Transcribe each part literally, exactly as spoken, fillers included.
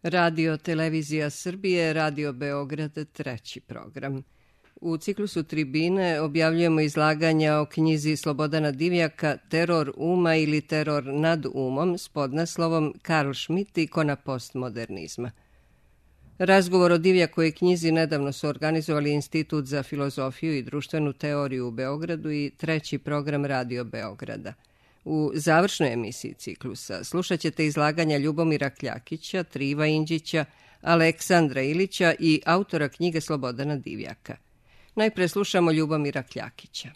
Radio Televizija Srbije, Radio Beograd, treći program. U ciklusu Tribine objavljujemo izlaganja o knjizi Slobodana Divjaka Teror uma ili Teror nad umom s podnaslovom Karl Schmitt, ikona postmodernizma. Razgovor o Divjakoj knjizi nedavno su organizovali Institut za filozofiju i društvenu teoriju u Beogradu i treći program Radio Beograda. U završnoj emisiji ciklusa slušat ćete izlaganja Ljubomira Kljakića, Triva Inđića, Aleksandra Ilića i autora knjige Slobodana Divjaka. Najpre slušamo Ljubomira Kljakića.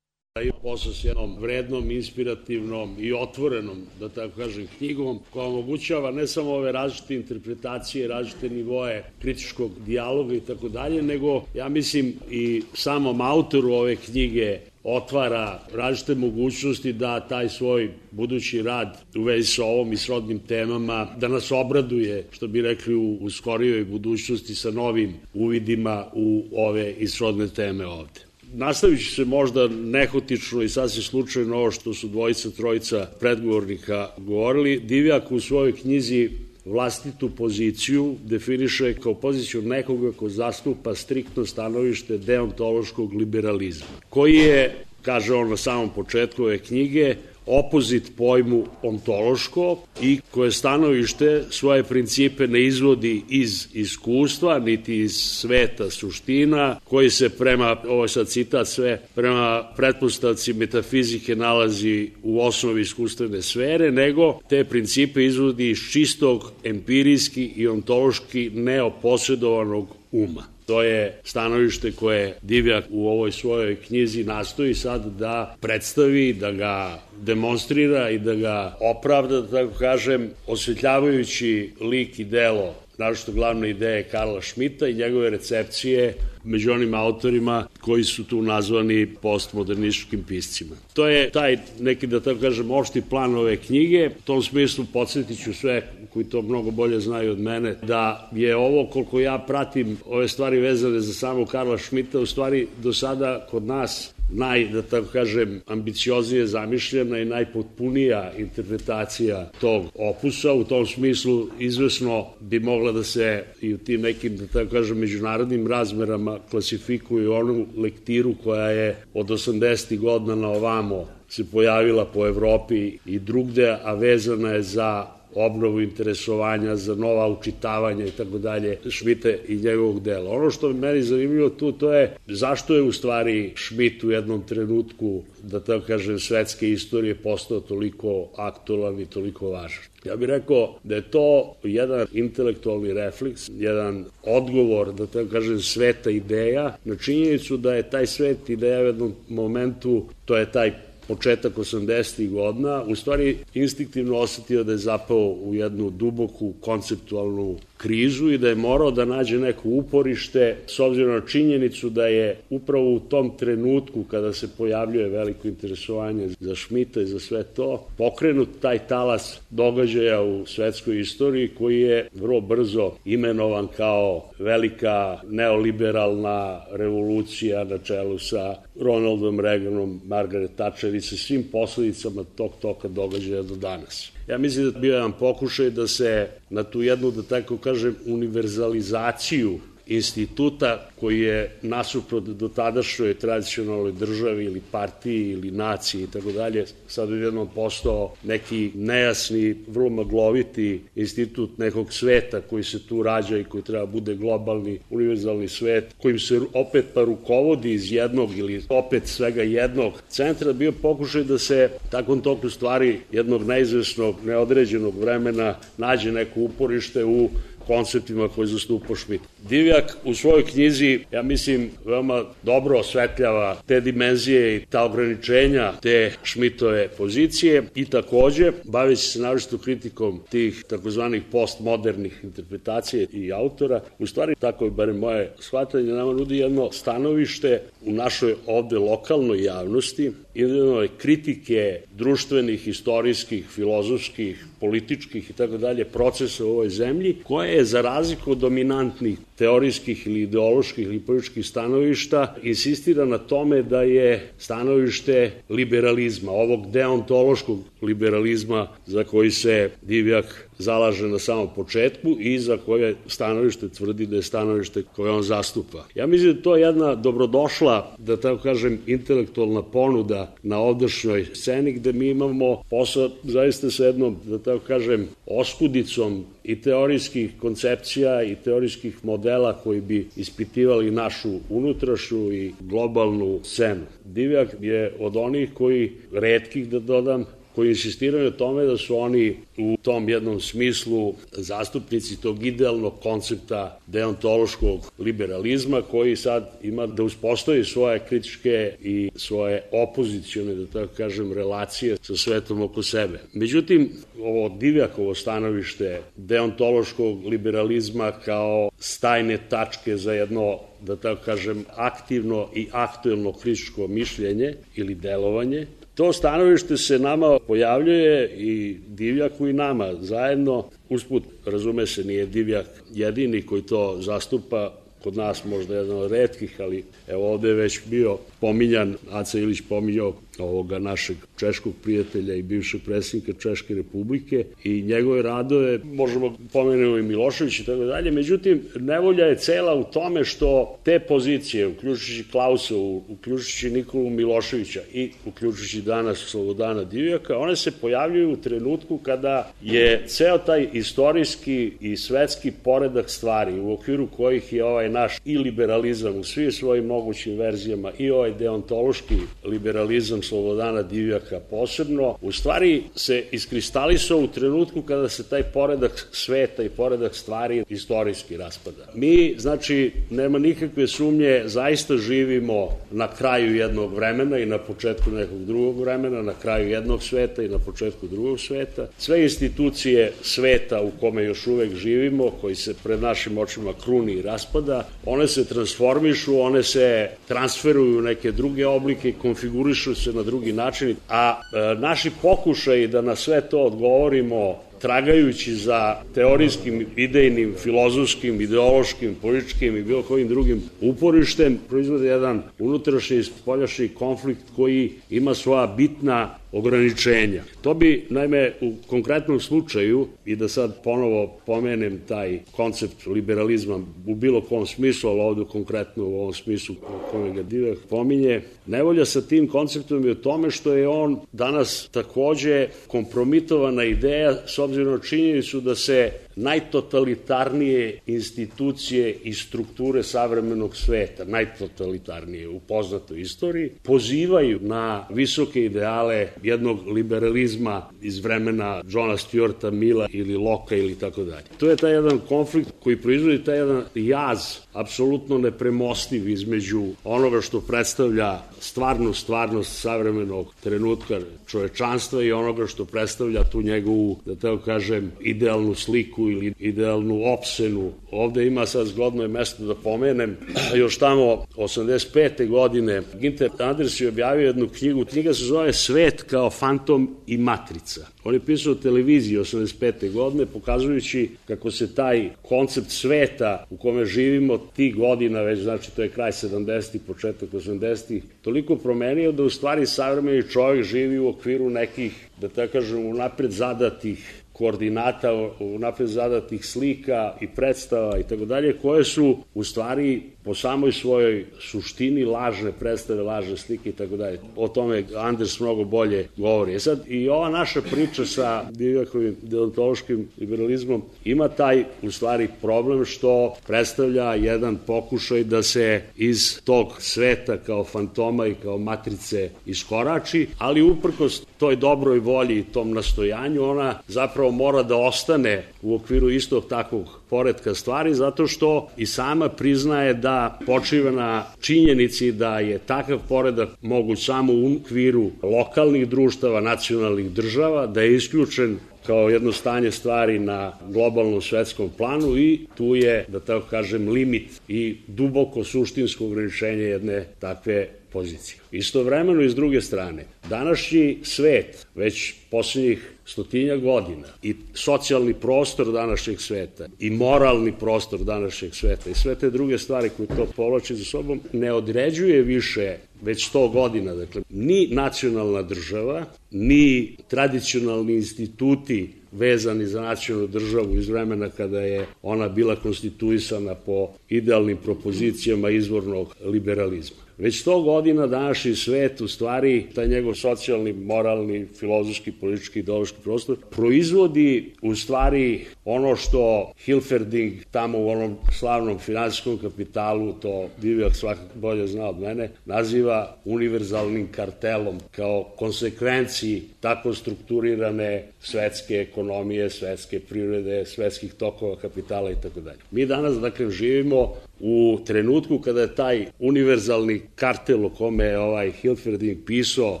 I posao s jednom vrednom, inspirativnom i otvorenom, da tako kažem, knjigom koja omogućava ne samo ove različite interpretacije, različite nivoe kritičkog dijaloga i tako dalje, nego ja mislim i samom autoru ove knjige otvara različite mogućnosti da taj svoj budući rad u vezi sa ovom i srodnim temama, da nas obraduje, što bi rekli, u, u skorijoj budućnosti sa novim uvidima u ove i srodne teme ovde. Nastavit ću se možda nehotično i sasvim slučajno ovo što su dvojica, trojica predgovornika govorili. Divjak u svojoj knjizi vlastitu poziciju definiše kao poziciju nekoga ko zastupa striktno stanovište deontološkog liberalizma, koji je, kaže on na samom početku ove knjige, opozit pojmu ontološko i koje stanovište svoje principe ne izvodi iz iskustva, niti iz sveta suština, koji se prema, ovo je sad citat sve, prema pretpostavci metafizike nalazi u osnovi iskustvene sfere, nego te principe izvodi iz čistog, empirijski i ontološki neoposjedovanog uma. To je stanovište koje Divjak u ovoj svojoj knjizi nastoji sad da predstavi, da ga demonstrira i da ga opravda, da tako kažem, osvetljavajući lik i delo, naročito glavne ideje Karla Schmitta i njegove recepcije među onim autorima koji su tu nazvani postmodernističkim piscima. To je taj neki, da tako kažem, opšti plan ove knjige. U tom smislu podsjetit ću sve koji to mnogo bolje znaju od mene, da je ovo, koliko ja pratim ove stvari vezane za samog Karla Schmitta, u stvari do sada kod nas naj, da tako kažem, ambicioznije zamišljena i najpotpunija interpretacija tog opusa. U tom smislu izvesno bi mogla da se i u tim nekim, da tako kažem, međunarodnim razmerama klasifikuje onu lektiru koja je od osamdesetih godina na ovamo se pojavila po Evropi i drugde, a vezana je za obnovu interesovanja, za nova učitavanja i tako dalje Schmitta i njegovog dela. Ono što je meni zanimljivo tu, to je zašto je u stvari Schmitt u jednom trenutku, da tako kažem, svetske istorije postao toliko aktualan i toliko važan. Ja bih rekao da je to jedan intelektualni refleks, jedan odgovor, da tako kažem, sveta ideja na činjenicu da je taj svet ideja u jednom momentu, to je taj početak osamdesetih godina, u stvari instinktivno osetio da je zapao u jednu duboku konceptualnu krizu i da je morao da nađe neko uporište s obzirom na činjenicu da je upravo u tom trenutku kada se pojavljuje veliko interesovanje za Schmitta i za sve to, pokrenut taj talas događaja u svetskoj istoriji koji je vrlo brzo imenovan kao velika neoliberalna revolucija na čelu sa Ronaldom Reaganom, Margaret Thatcher i sa svim posledicama tog toka događaja do danas. Ja mislim da je bio jedan pokušaj da se na tu jednu, da tako kažem, univerzalizaciju instituta koji je nasuprot do tadašnjoj tradicionalnoj državi ili partiji ili naciji i tako dalje, sad je jednom postao neki nejasni, vrlo magloviti institut nekog sveta koji se tu rađa i koji treba bude globalni, univerzalni svet, kojim se opet pa rukovodi iz jednog ili opet svega jednog centra, bio pokušaj da se takvom toku stvari jednog neizvesnog, neodređenog vremena nađe neko uporište u konceptima koje zastupa Schmitt. Divjak u svojoj knjizi, ja mislim, veoma dobro osvetljava te dimenzije i ta ograničenja te Schmittove pozicije i takođe, baveći se naročito kritikom tih takozvanih postmodernih interpretacija i autora, u stvari, tako je barem moje shvatanje, nama nudi jedno stanovište u našoj ovde lokalnoj javnosti, jedne kritike društvenih, istorijskih, filozofskih, političkih i tako dalje procesa u ovoj zemlji, koje je za razliku od dominantnih teorijskih ili ideoloških ili političkih stanovišta insistira na tome da je stanovište liberalizma, ovog deontološkog liberalizma za koji se Divjak zalaže na samom početku i za koje stanovište tvrdi da je stanovište koje on zastupa. Ja mislim da je to jedna dobrodošla, da tako kažem, intelektualna ponuda na ovdašnjoj sceni, gde mi imamo posao zaista sa jednom, da tako kažem, oskudicom i teorijskih koncepcija i teorijskih modela koji bi ispitivali našu unutrašnju i globalnu scenu. Divjak je od onih koji, retkih da dodam, koji insistiraju na tome da su oni u tom jednom smislu zastupnici tog idealnog koncepta deontološkog liberalizma koji sad ima da uspostavi svoje kritičke i svoje opozicione, da tako kažem, relacije sa svetom oko sebe. Međutim, ovo Divjakovo stanovište deontološkog liberalizma kao stajne tačke za jedno, da tako kažem, aktivno i aktuelno kritičko mišljenje ili delovanje, to stanovište se nama pojavljuje i Divjaku i nama zajedno. Usput, razume se, nije Divjak jedini koji to zastupa, kod nas možda jedan od retkih, ali evo ovde je već bio pominjan, Aca Ilić pominjao ovoga našeg češkog prijatelja i bivšeg predsjednika Češke Republike i njegove radove, možemo pomenuti i Milošević i tako dalje, međutim, nevolja je cela u tome što te pozicije, uključujući Klausa, uključujući Nikolu Miloševića i uključujući danas Slobodana Divjaka, one se pojavljuju u trenutku kada je ceo taj istorijski i svetski poredak stvari u okviru kojih je ovaj naš i liberalizam u svim svojim mogućim verzijama i ovaj deontološki liberalizam Slobodana Divjaka posebno, u stvari se iskristalisao u trenutku kada se taj poredak sveta i poredak stvari istorijski raspada. Mi, znači, nema nikakve sumnje, zaista živimo na kraju jednog vremena i na početku nekog drugog vremena, na kraju jednog sveta i na početku drugog sveta. Sve institucije sveta u kome još uvek živimo, koji se pred našim očima kruni i raspada, one se transformišu, one se transferuju u neke druge oblike i konfigurišu se na drugi način, a e, naši pokušaji da na sve to odgovorimo tragajući za teorijskim, idejnim, filozofskim, ideološkim, političkim i bilo kojim drugim uporištem, proizvode jedan unutrašnji i spoljašnji konflikt koji ima svoja bitna ograničenja. To bi, naime, u konkretnom slučaju, i da sad ponovo pomenem taj koncept liberalizma u bilo kom smislu, ali ovdje konkretno u ovom smislu kome ga Divjak pominje, nevolja sa tim konceptom je u tome što je on danas takođe kompromitovana ideja s obzirom na činjenicu da se najtotalitarnije institucije i strukture savremenog sveta, najtotalitarnije u poznatoj istoriji, pozivaju na visoke ideale jednog liberalizma iz vremena Johna Stuarta Milla ili Locke ili tako dalje. To je taj jedan konflikt koji proizvodi taj jedan jaz apsolutno nepremostiv između onoga što predstavlja stvarnu stvarnost savremenog trenutka čovečanstva i onoga što predstavlja tu njegovu, da tako kažem, idealnu sliku ili idealnu opsenu. Ovde ima sad zgodno je mesto da pomenem, još tamo osamdeset pete godine Günther Anders je objavio jednu knjigu, knjiga se zove Svet kao fantom i matrica. On je pisao o televiziji osamdeset pete godine, pokazujući kako se taj koncept sveta u kome živimo tih godina, već znači to je kraj sedamdesetih, početak osamdesetih, toliko promenio da u stvari savremeni čovjek živi u okviru nekih, da tako kažem, unapred zadatih koordinata, unapred zadatih slika i predstava i tako dalje, koje su u stvari po samoj svojoj suštini lažne predstave, lažne slike i tako dalje. O tome Anders mnogo bolje govori. E sad, i ova naša priča sa Divjakovim deontološkim liberalizmom ima taj, u stvari, problem što predstavlja jedan pokušaj da se iz tog sveta kao fantoma i kao matrice iskorači, ali uprkos toj dobroj volji i tom nastojanju, ona zapravo mora da ostane u okviru istog takvog poretka stvari, zato što i sama priznaje da počiva na činjenici da je takav poredak moguć samo u okviru lokalnih društava, nacionalnih država, da je isključen kao jedno stanje stvari na globalnom svetskom planu i tu je, da tako kažem, limit i duboko suštinsko ograničenje jedne takve pozicije. Istovremeno i s druge strane, današnji svet, već posljednjih stotinja godina, i socijalni prostor današnjeg sveta, i moralni prostor današnjeg sveta, i sve te druge stvari koje to povlači za sobom, ne određuje više već sto godina, dakle, ni nacionalna država, ni tradicionalni instituti vezani za nacionalnu državu iz vremena kada je ona bila konstituisana po idealnim propozicijama izvornog liberalizma. Već sto godina današnji svet, u stvari, taj njegov socijalni, moralni, filozofski, politički, ideološki prostor, proizvodi u stvari ono što Hilferding tamo u onom slavnom finansijskom kapitalu, to Divjak svakako bolje zna od mene, naziva univerzalnim kartelom kao konsekvenciji tako strukturirane svetske ekonomije, svetske privrede, svetskih tokova kapitala i tako dalje. Mi danas, dakle, živimo u trenutku kada je taj univerzalni kartel o kome je ovaj Hilferding pisao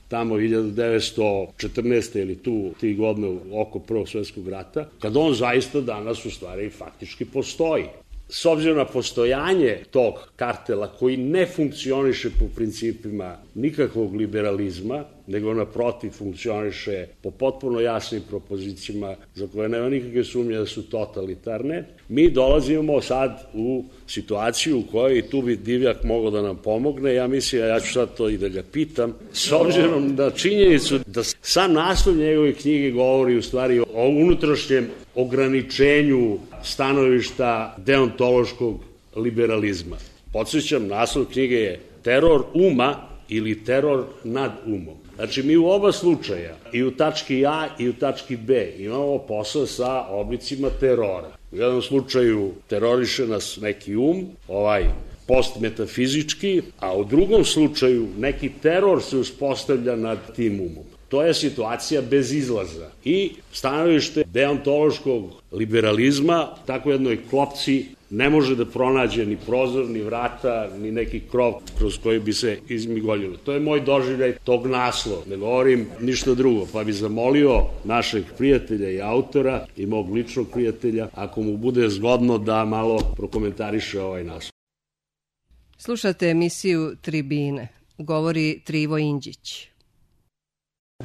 tamo hiljadu devetsto četrnaeste ili tu tri godine oko Prvog svjetskog rata, kada on zaista danas u stvari faktički postoji. S obzirom na postojanje tog kartela koji ne funkcioniše po principima nikakvog liberalizma, nego naprotiv funkcioniše po potpuno jasnim propozicijama za koje nema nikakve sumnje da su totalitarne, mi dolazimo sad u situaciju u kojoj i tu bi Divjak mogao da nam pomogne. Ja mislim, a ja ću sad to i da ga pitam, s obzirom na činjenicu da sam naslov njegove knjige govori u stvari o unutrašnjem ograničenju stanovišta deontološkog liberalizma. Podsjećam, naslov knjige je Teror uma ili teror nad umom. Znači, mi u oba slučaja, i u tački A i u tački B, imamo posao sa oblicima terora. U jednom slučaju teroriše nas neki um, ovaj postmetafizički, a u drugom slučaju neki teror se uspostavlja nad tim umom. To je situacija bez izlaza. I stanovište deontološkog liberalizma, tako jednoj klopci, ne može da pronađe ni prozor, ni vrata, ni neki krov kroz koji bi se izmigoljilo. To je moj doživljaj tog naslova. Ne govorim ništa drugo, pa bi zamolio našeg prijatelja i autora i mog ličnog prijatelja, ako mu bude zgodno da malo prokomentariše ovaj naslov. Slušate emisiju Tribine. Govori Trivo Indžić.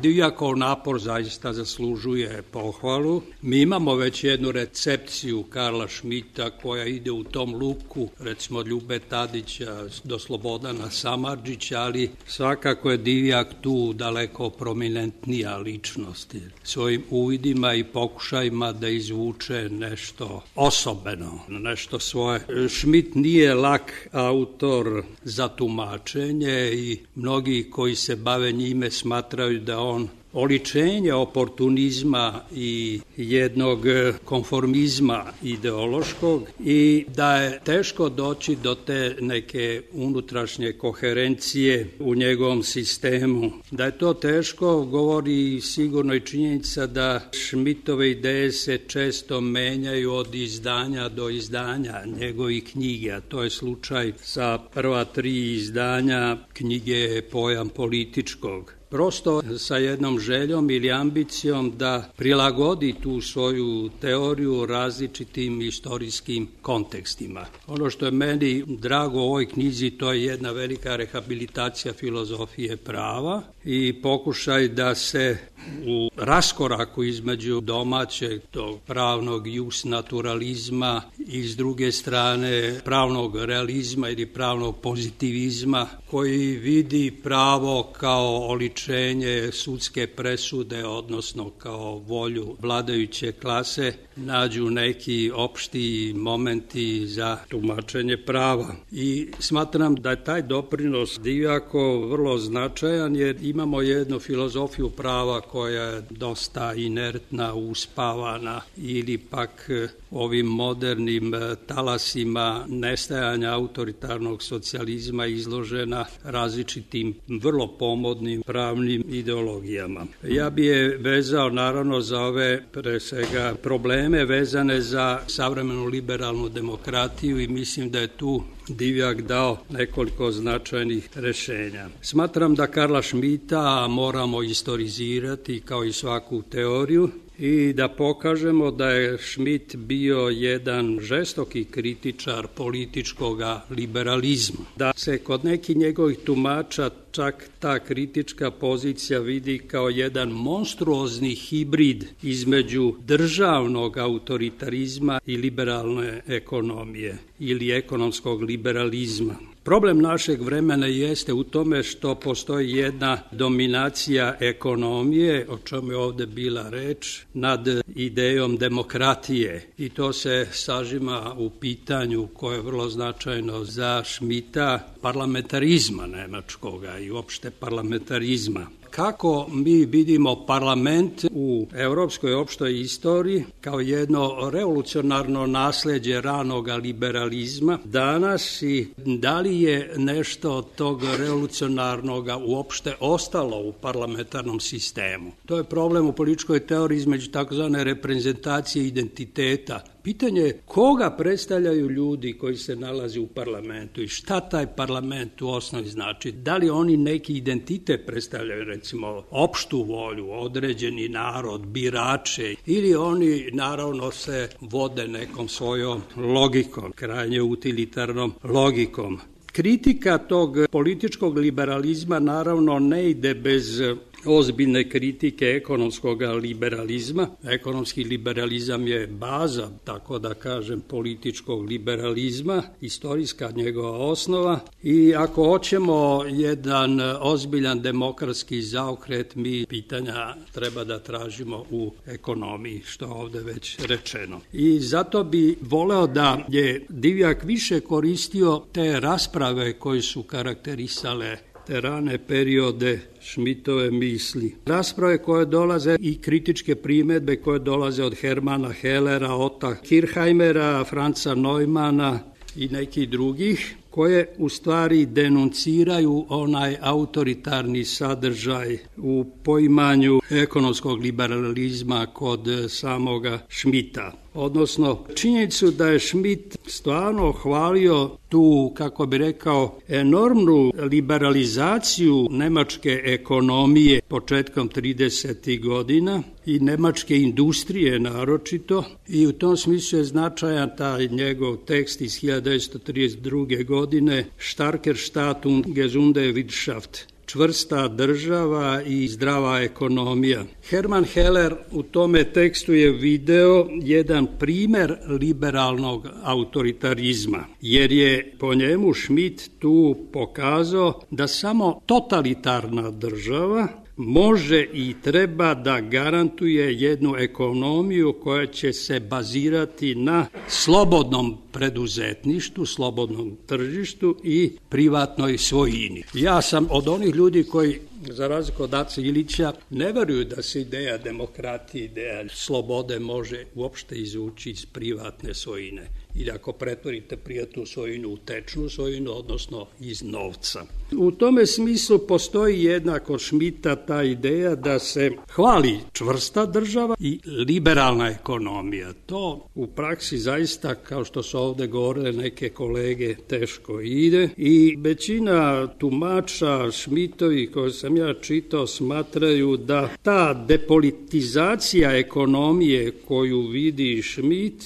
Divjakov napor zaista zaslužuje pohvalu. Mi imamo već jednu recepciju Karla Šmita koja ide u tom luku, recimo od Ljube Tadića do Slobodana Samardžića, ali svakako je Divjak tu daleko prominentnija ličnost. Svojim uvidima i pokušajima da izvuče nešto osobeno, nešto svoje. Šmit nije lak autor za tumačenje i mnogi koji se bave njime smatraju da on oličenje oportunizma i jednog konformizma ideološkog i da je teško doći do te neke unutrašnje koherencije u njegovom sistemu. Da je to teško govori sigurno i činjenica da Šmitove ideje se često menjaju od izdanja do izdanja njegovih knjige, a to je slučaj sa prva tri izdanja knjige Pojam političkog. Prosto sa jednom željom ili ambicijom da prilagodi tu svoju teoriju različitim istorijskim kontekstima. Ono što je meni drago u ovoj knjizi, to je jedna velika rehabilitacija filozofije prava i pokušaj da se u raskoraku između domaćeg tog pravnog jus naturalizma i s druge strane pravnog realizma ili pravnog pozitivizma koji vidi pravo kao oličenje sudske presude, odnosno kao volju vladajuće klase, nađu neki opšti momenti za tumačenje prava. I smatram da je taj doprinos Divjakov vrlo značajan jer imamo jednu filozofiju prava koja je dosta inertna, uspavana ili pak ovim modernim talasima nestajanja autoritarnog socijalizma izložena različitim vrlo pomodnim pravnim ideologijama. Ja bi je vezao naravno za ove pre svega probleme vezane za savremenu liberalnu demokratiju i mislim da je tu Divjak dao nekoliko značajnih rešenja. Smatram da Karla Šmita moramo istorizirati kao i svaku teoriju i da pokažemo da je Šmit bio jedan žestoki kritičar političkog liberalizma. Da se kod nekih njegovih tumača čak ta kritička pozicija vidi kao jedan monstruozni hibrid između državnog autoritarizma i liberalne ekonomije ili ekonomskog liberalizma. Problem našeg vremena jeste u tome što postoji jedna dominacija ekonomije, o čemu je ovde bila reč, nad idejom demokratije. I to se sažima u pitanju koje je vrlo značajno za Schmidta, parlamentarizma nemačkoga i uopšte parlamentarizma. Kako mi vidimo parlament u evropskoj opštoj istoriji kao jedno revolucionarno nasleđe ranog liberalizma danas i da li je nešto od tog revolucionarnog uopšte ostalo u parlamentarnom sistemu? To je problem u političkoj teoriji između takozvane reprezentacije identiteta. Pitanje je koga predstavljaju ljudi koji se nalaze u parlamentu i šta taj parlament u osnovi znači. Da li oni neki identitet predstavljaju, recimo opštu volju, određeni narod, birače, ili oni naravno se vode nekom svojom logikom, krajnje utilitarnom logikom. Kritika tog političkog liberalizma naravno ne ide bez ozbiljne kritike ekonomskog liberalizma. Ekonomski liberalizam je baza, tako da kažem, političkog liberalizma, istorijska njegova osnova i ako hoćemo jedan ozbiljan demokratski zaokret, mi pitanja treba da tražimo u ekonomiji, što je ovde već rečeno. I zato bi voleo da je Divjak više koristio te rasprave koje su karakterisale te rane periode Schmittove misli. Rasprave koje dolaze i kritičke primedbe koje dolaze od Hermana Hellera, Otta Kirchheimera, Franca Neumana i nekih drugih, koje u stvari denunciraju onaj autoritarni sadržaj u poimanju ekonomskog liberalizma kod samoga Schmidta. Odnosno, činjenicu da je Schmidt stvarno hvalio tu, kako bi rekao, enormnu liberalizaciju nemačke ekonomije početkom tridesetih godina i nemačke industrije naročito, i u tom smislu je značajan taj njegov tekst iz hiljadu devetsto trideset druge godine Starker Staat und gesunde Wirtschaft, čvrsta država i zdrava ekonomija. Hermann Heller u tome tekstu je video jedan primer liberalnog autoritarizma, jer je po njemu Schmidt tu pokazao da samo totalitarna država može i treba da garantuje jednu ekonomiju koja će se bazirati na slobodnom preduzetništvu, slobodnom tržištu i privatnoj svojini. Ja sam od onih ljudi koji, za razliku od Ace Ilića, ne veruju da se ideja demokratije, ideja slobode može uopšte izvući iz privatne svojine. Ili ako pretvorite privatnu svojinu u tečnu svojinu, odnosno iz novca. U tome smislu postoji jedna kod Schmidta ta ideja da se hvali čvrsta država i liberalna ekonomija. To u praksi zaista, kao što su ovde govorile neke kolege, teško ide i većina tumača Schmidtovi koje sam ja čitao smatraju da ta depolitizacija ekonomije koju vidi Schmidt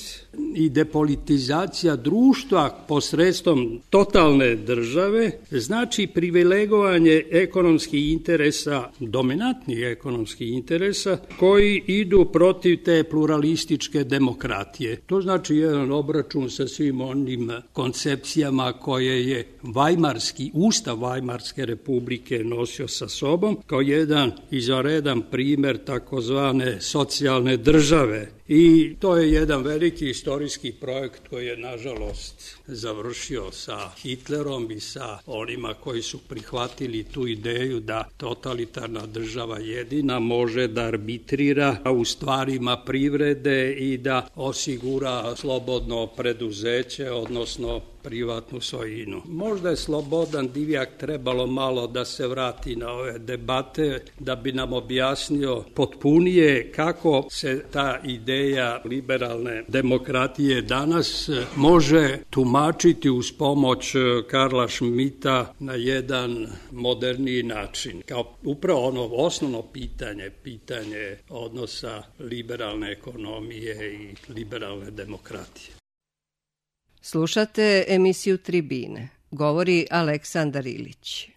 i depolitizacija društva posredstvom totalne države znači privilegovanje ekonomskih interesa, dominantnih ekonomskih interesa koji idu protiv te pluralističke demokratije. To znači jedan obračun sa svim onim koncepcijama koje je Vajmarski, Ustav Vajmarske republike nosio sa sobom kao jedan izvanredan primer takozvane socijalne države. I to je jedan veliki istorijski projekt koji je, nažalost, završio sa Hitlerom i sa onima koji su prihvatili tu ideju da totalitarna država jedina može da arbitrira u stvarima privrede i da osigura slobodno preduzeće, odnosno privatnu svojinu. Možda je Slobodan Divjak trebalo malo da se vrati na ove debate da bi nam objasnio potpunije kako se ta ideja liberalne demokratije danas može tumačiti uz pomoć Karla Schmidta na jedan moderniji način. Kao upravo ono osnovno pitanje, pitanje odnosa liberalne ekonomije i liberalne demokratije. Slušate emisiju Tribine. Govori Aleksandar Ilić.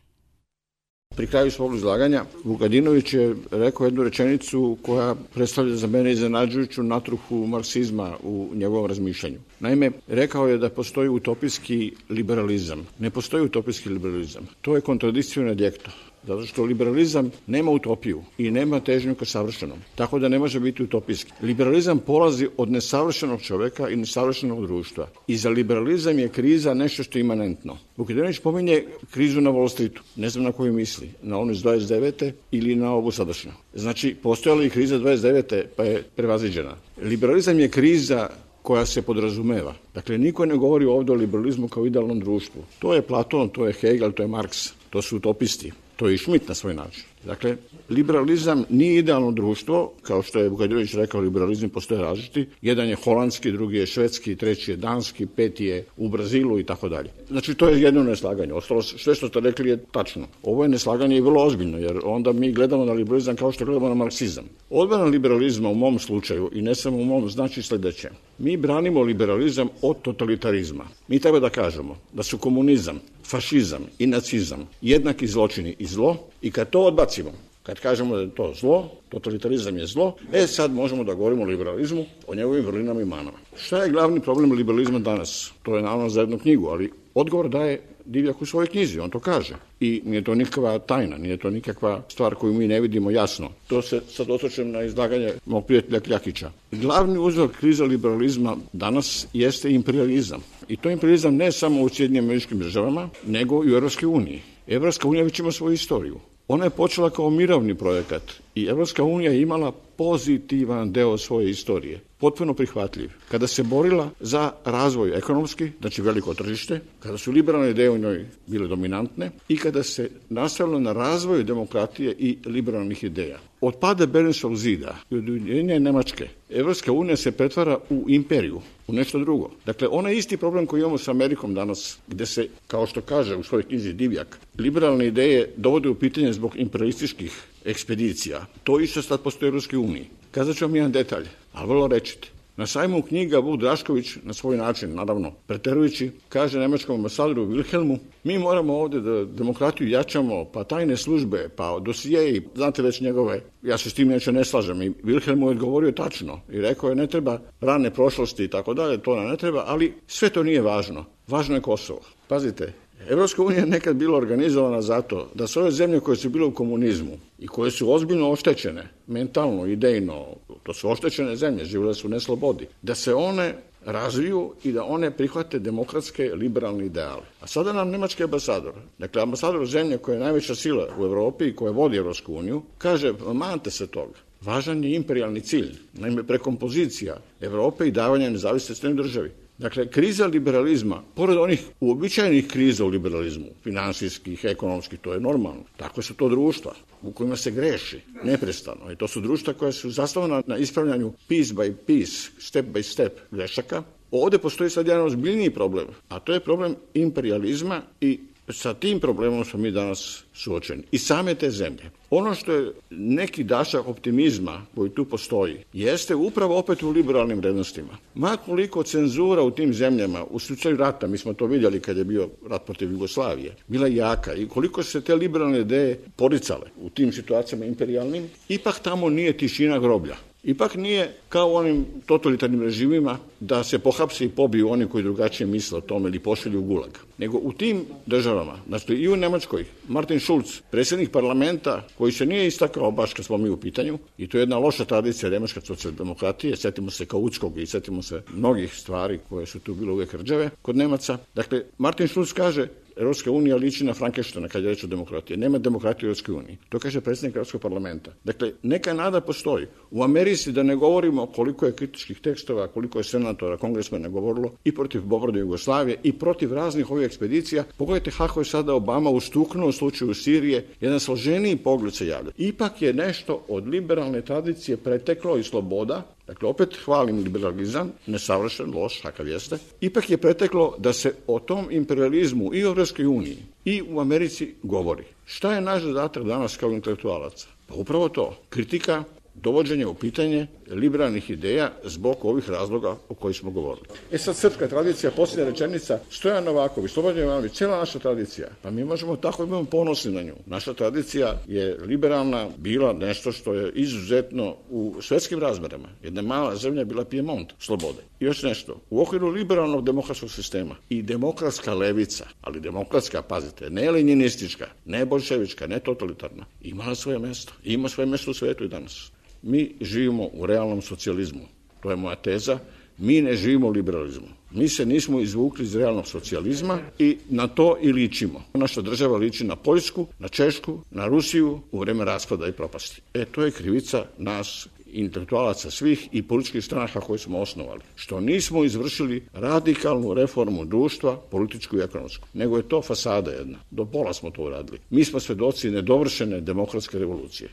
Pri kraju svog izlaganja Vukadinović je rekao jednu rečenicu koja predstavlja za mene iznenađujuću natruhu marksizma u njegovom razmišljanju. Naime, rekao je da postoji utopijski liberalizam. Ne postoji utopijski liberalizam. To je kontradikcijo in adjekto. Zato što liberalizam nema utopiju i nema težnju ka savršenom. Tako da ne može biti utopijski. Liberalizam polazi od nesavršenog čoveka i nesavršenog društva. I za liberalizam je kriza nešto što je imanentno. Vukadinović pominje krizu na Wall Streetu. Ne znam na koju misli. Na onu iz dvadeset devete ili na ovu sadašnju. Znači, postojala i kriza dvadeset devete pa je prevaziđena. Liberalizam je kriza koja se podrazumeva. Dakle, niko ne govori ovdje o liberalizmu kao idealnom društvu. To je Platon, to je Hegel, to je Marks. To su utopisti. To je i Schmitt na svoj način. Dakle, liberalizam nije idealno društvo, kao što je Vukadinović rekao, liberalizam postoje različiti. Jedan je holandski, drugi je švedski, treći je danski, peti je u Brazilu i tako dalje. Znači, to je jedno neslaganje. Ostalo sve što ste rekli je tačno. Ovo je neslaganje i vrlo ozbiljno, jer onda mi gledamo na liberalizam kao što gledamo na marksizam. Odbrana liberalizma u mom slučaju, i ne samo u mom, znači sljedeće. Mi branimo liberalizam od totalitarizma. Mi treba da kažemo da su komunizam, fašizam i nacizam jednaki zločini i zlo, i kad to odbacimo, kad kažemo da je to zlo, totalitarizam je zlo, e sad možemo da govorimo o liberalizmu, o njegovim vrlinama i manama. Šta je glavni problem liberalizma danas? To je naravno za jednu knjigu, ali odgovor daje Divjak u svojoj knjizi, on to kaže. I nije to nikakva tajna, nije to nikakva stvar koju mi ne vidimo jasno. To se sad osvrćem na izlaganje mog prijatelja Kljakića. Glavni uzrok krize liberalizma danas jeste imperializam. I to imperializam ne samo u Sjedinjenim Američkim Državama, nego i u Europskoj uniji. Evropska unija već ima svoju istoriju. Ona je počela kao mirovni projekat i Evropska unija je imala pozitivan deo svoje istorije, potpuno prihvatljiv. Kada se borila za razvoj ekonomski, znači veliko tržište, kada su liberalne ideje u njoj bile dominantne i kada se nastavilo na razvoju demokratije i liberalnih ideja. Od pada Berlinskog zida i od ujedinjenja Nemačke, Evropska unija se pretvara u imperiju, u nešto drugo. Dakle, onaj isti problem koji imamo s Amerikom danas, gde se, kao što kaže u svojoj knjizi Divjak, liberalne ideje dovode u pitanje zbog imperialističkih ekspedicija. To isto sad postoji u Evropskoj uniji. Kazat ću vam jedan detalj, ali vrlo rečite. Na sajmu knjiga Vuk Drašković, na svoj način, naravno, preterujući, kaže nemačkom ambasadoru Wilhelmu, mi moramo ovdje da demokratiju jačamo, pa tajne službe, pa dosijeji, znate već njegove, ja se s tim neće ne slažem. I Wilhelm mu je odgovorio tačno i rekao je ne treba rane prošlosti i tako dalje, to nam ne treba, ali sve to nije važno. Važno je Kosovo. Pazite, Evropska unija je nekad bila organizovana zato da sve ove zemlje koje su bile u komunizmu i koje su ozbiljno oštećene, mentalno, idejno, to su oštećene zemlje, živjele su u neslobodi, da se one razviju i da one prihvate demokratske liberalne ideale. A sada nam nemački ambasador, dakle ambasador zemlje koja je najveća sila u Evropi i koja vodi Evropsku uniju, kaže mante se toga. Važan je imperijalni cilj, naime prekompozicija Evrope i davanja nezavisnosti državi. Dakle, kriza liberalizma, pored onih uobičajenih kriza u liberalizmu, finansijskih, ekonomskih, to je normalno. Tako su to društva u kojima se greši neprestano. I to su društva koja su zasnovana na ispravljanju piece by piece, step by step grešaka. Ovdje postoji sad jedan ozbiljniji problem, a to je problem imperializma i sa tim problemom smo mi danas suočeni. I same te zemlje. Ono što je neki dašak optimizma koji tu postoji, jeste upravo opet u liberalnim vrednostima. Ma koliko cenzura u tim zemljama, u slučaju rata, mi smo to vidjeli kad je bio rat protiv Jugoslavije, bila jaka i koliko se te liberalne ideje poricale u tim situacijama imperijalnim, ipak tamo nije tišina groblja. Ipak nije kao u onim totalitarnim režimima da se pohapse i pobiju oni koji drugačije misle o tome ili pošalju u gulag. Nego u tim državama, znači i u Nemačkoj, Martin Schulz, predsjednik parlamenta koji se nije istakao baš kad smo mi u pitanju, i to je jedna loša tradicija nemačke socijaldemokratije, sjetimo se Kautskog i sjetimo se mnogih stvari koje su tu bile uvijek rđave kod Nemaca. Dakle, Martin Schulz kaže Evropska unija liči na Frankensteina kad je reč o demokratiji. Nema demokratije u Evropskoj uniji. To kaže predsjednik Evropskog parlamenta. Dakle, neka nada postoji. U Americi, da ne govorimo koliko je kritičkih tekstova, koliko je senatora, kongresmena govorilo i protiv bombarde Jugoslavije i protiv raznih ovih ekspedicija. Pogledajte kako je sada Obama ustuknuo u slučaju Sirije. Jedan složeniji pogled se javlja. Ipak je nešto od liberalne tradicije preteklo i sloboda. Dakle, opet hvalim liberalizam, nesavršen, loš, kakav jeste. Ipak je preteklo da se o tom imperializmu i u Evropskoj uniji i u Americi govori. Šta je naš zadatak danas kao intelektualaca? Pa upravo to, kritika dovođenje u pitanje liberalnih ideja zbog ovih razloga o kojih smo govorili. E sad srpska tradicija, posljednja rečenica, Stojan Novaković, Slobodan Jovanović, cijela naša tradicija, pa mi možemo tako imamo ponosni na nju. Naša tradicija je liberalna bila nešto što je izuzetno u svetskim razmerama. Jedna mala zemlja je bila Pijemont slobode. I još nešto, u okviru liberalnog demokratskog sistema i demokratska levica, ali demokratska, pazite, ne leninistička, ne bolševička, ne totalitarna, imala svoje mesto. I ima svoje mesto u svetu i danas. Mi živimo u realnom socijalizmu. To je moja teza. Mi ne živimo u liberalizmu. Mi se nismo izvukli iz realnog socijalizma i na to i ličimo. Naša država liči na Poljsku, na Češku, na Rusiju u vreme raspada i propasti. E, to je krivica nas, intelektualaca svih i političkih stranaka koje smo osnovali. Što nismo izvršili radikalnu reformu društva, političku i ekonomsku. Nego je to fasada jedna. Do pola smo to uradili. Mi smo svedoci nedovršene demokratske revolucije.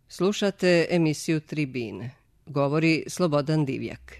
Slušate emisiju Tribine. Govori Slobodan Divjak.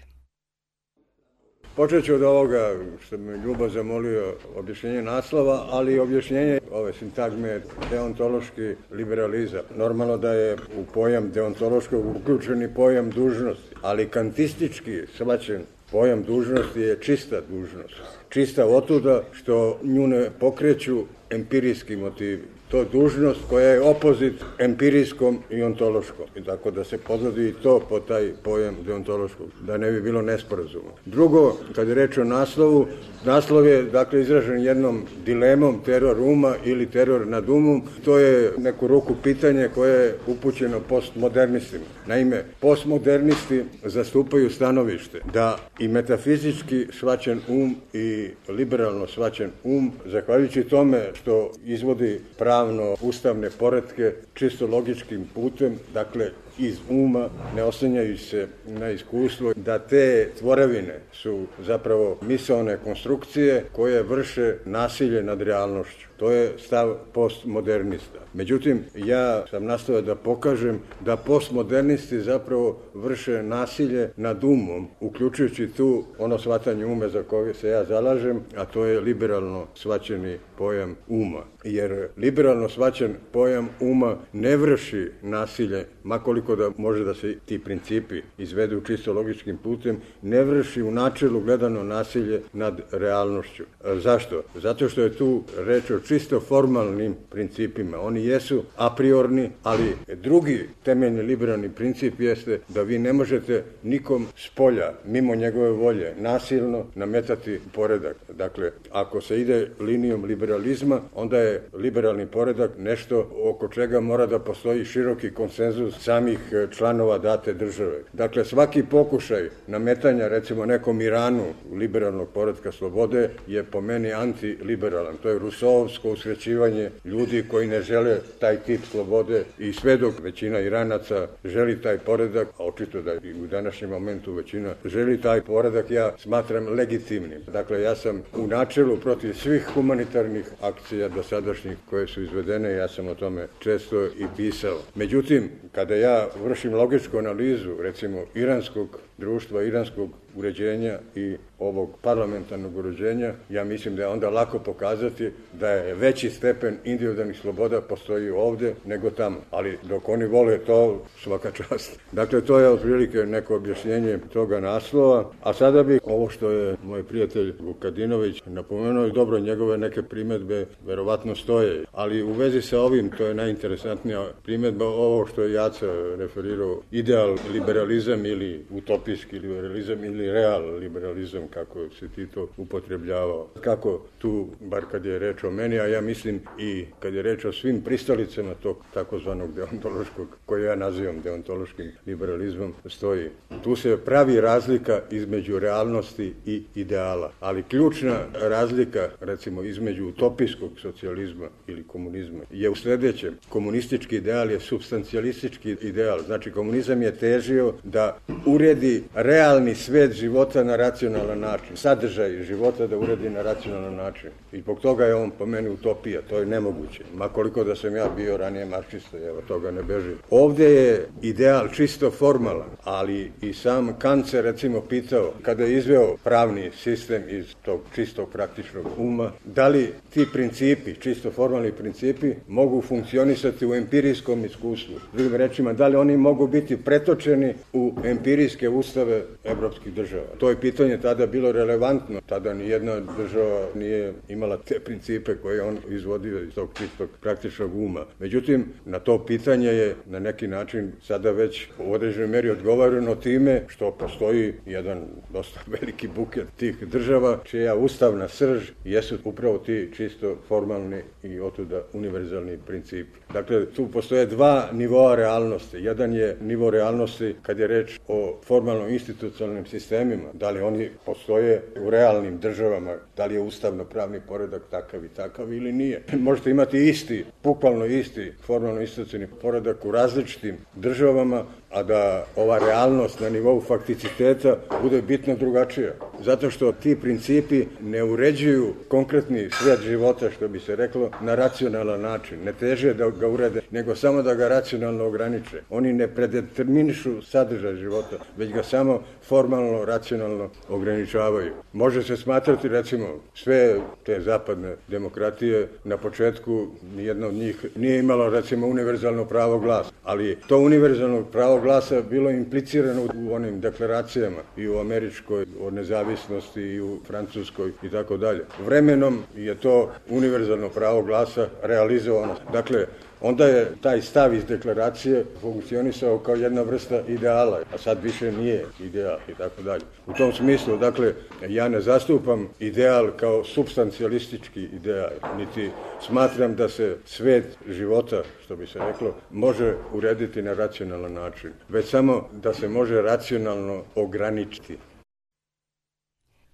Počet ću od ovoga što me Ljubo zamolio, objašnjenje naslova, ali i objašnjenje ove sintagme deontološki liberalizam. Normalno da je u pojam deontološkog uključeni pojam dužnosti, ali kantistički shvaćen pojam dužnosti je čista dužnost. Čista otuda što nju ne pokreću empirijski motivi. To je dužnost koja je opozit empirijskom i ontološkom. I tako da se podvodi i to po taj pojam deontološkog, da ne bi bilo nesporazuma. Drugo, kad je reč o naslovu, naslov je dakle izražen jednom dilemom teror uma ili teror nad umom. To je neku ruku pitanje koje je upućeno postmodernistima. Naime, postmodernisti zastupaju stanovište da i metafizički shvaćen um i liberalno shvaćen um, zahvaljujući tome što izvodi pravno ustavne poretke čisto logičkim putem, dakle iz uma, ne oslanjajući se na iskustvo, da te tvorevine su zapravo misaone konstrukcije koje vrše nasilje nad realnošću. To je stav postmodernista. Međutim, ja sam nastavio da pokažem da postmodernisti zapravo vrše nasilje nad umom, uključujući tu ono shvatanje ume za koje se ja zalažem, a to je liberalno shvaćeni pojam uma. Jer liberalno shvaćen pojam uma ne vrši nasilje, makoliko da može da se ti principi izvedu čisto logičkim putem, ne vrši u načelu gledano nasilje nad realnošću. Zašto? Zato što je tu reč o čisto formalnim principima. Oni jesu a priorni, ali drugi temeljni liberalni princip jeste da vi ne možete nikom s polja, mimo njegove volje, nasilno nametati poredak. Dakle, ako se ide linijom liberalizma, onda je liberalni poredak nešto oko čega mora da postoji široki konsenzus samih članova date države. Dakle, svaki pokušaj nametanja, recimo, nekom Iranu liberalnog poretka slobode je po meni antiliberalan. To je rusoovsko usrećivanje ljudi koji ne žele taj tip slobode i sve dok većina Iranaca želi taj poredak, a očito da i u današnjem momentu većina želi taj poredak, ja smatram legitimnim. Dakle, ja sam u načelu protiv svih humanitarnih akcija dosadašnjih koje su izvedene, ja sam o tome često i pisao. Međutim, kada ja vršim logičku analizu, recimo, iranskog društva, iranskog uređenja i ovog parlamentarnog uređenja, ja mislim da je onda lako pokazati da je veći stepen individualnih sloboda postoji ovdje nego tamo. Ali dok oni vole to, svaka čast. Dakle, to je otprilike neko objašnjenje toga naslova. A sada bih ovo što je moj prijatelj Vukadinović napomenuo, i dobro, njegove neke primjedbe verovatno stoje. Ali u vezi sa ovim, to je najinteresantnija primjedba, ovo što je Jaca referirao, ideal liberalizam ili utopijski liberalizam ili real liberalizam, kako se ti to upotrebljavao. Kako tu, bar kad je reč o meni, a ja mislim i kad je reč o svim pristalicama tog takozvanog deontološkog, koje ja nazivam deontološkim liberalizmom, stoji. Tu se pravi razlika između realnosti i ideala. Ali ključna razlika, recimo, između utopijskog socijalizma ili komunizma je u sljedećem. Komunistički ideal je supstancijalistički ideal ideal. Znači, komunizam je težio da uredi realni svet života na racionalan način. Sadržaj života da uredi na racionalan način. I zbog toga je on po meni utopija. To je nemoguće. Ma koliko da sam ja bio ranije marksista, evo toga ne bežim. Ovdje je ideal čisto formalan, ali i sam Kant se recimo pitao, kada je izveo pravni sistem iz tog čistog praktičnog uma, da li ti principi, čisto formalni principi, mogu funkcionisati u empirijskom iskustvu. Drugim rečima, da li oni mogu biti pretočeni u empirijske ustave evropskih država. To je pitanje tada bilo relevantno. Tada nijedna država nije imala te principe koje on izvodio iz tog čistog praktičnog uma. Međutim, na to pitanje je na neki način sada već u određenoj meri odgovoreno time što postoji jedan dosta veliki buket tih država čija ustavna srž jesu upravo ti čisto formalni i otuda univerzalni principi. Dakle, tu postoje dva nivoa realnosti. Jedan je nivo realnosti kad je reč o formalno-institucionalnim sistemima, da li oni postoje u realnim državama, da li je ustavno-pravni poredak takav i takav ili nije. Možete imati isti, bukvalno isti formalno-institucionalni poredak u različitim državama, a da ova realnost na nivou fakticiteta bude bitno drugačija. Zato što ti principi ne uređuju konkretni svet života, što bi se reklo, na racionalan način. Ne teže da ga urede, nego samo da ga racionalno ograniče. Oni ne predeterminišu sadržaj života, već ga samo formalno, racionalno ograničavaju. Može se smatrati, recimo, sve te zapadne demokratije, na početku nijedna od njih nije imala, recimo, univerzalno pravo glasa, ali to univerzalno pravo glasa bilo implicirano u onim deklaracijama i u američkoj o nezavisnosti i u francuskoj i tako dalje. Vremenom je to univerzalno pravo glasa realizovano. Dakle, onda je taj stav iz deklaracije funkcionisao kao jedna vrsta ideala, a sad više nije ideal i tako dalje. U tom smislu, dakle, ja ne zastupam ideal kao supstancijalistički ideal, niti smatram da se svet života, što bi se reklo, može urediti na racionalan način, već samo da se može racionalno ograničiti.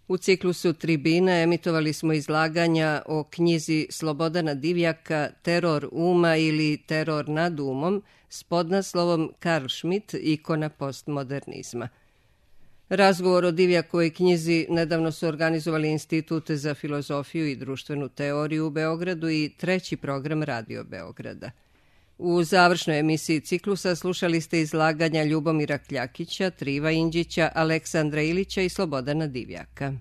U ciklusu Tribine emitovali smo izlaganja o knjizi Slobodana Divjaka Teror uma ili Teror nad umom s podnaslovom Karl Schmitt, ikona postmodernizma. Razgovor o Divjakovoj knjizi nedavno su organizovali Institut za filozofiju i društvenu teoriju u Beogradu i treći program Radio Beograda. U završnoj emisiji ciklusa slušali ste izlaganja Ljubomira Kljakića, Triva Inđića, Aleksandra Ilića i Slobodana Divjaka.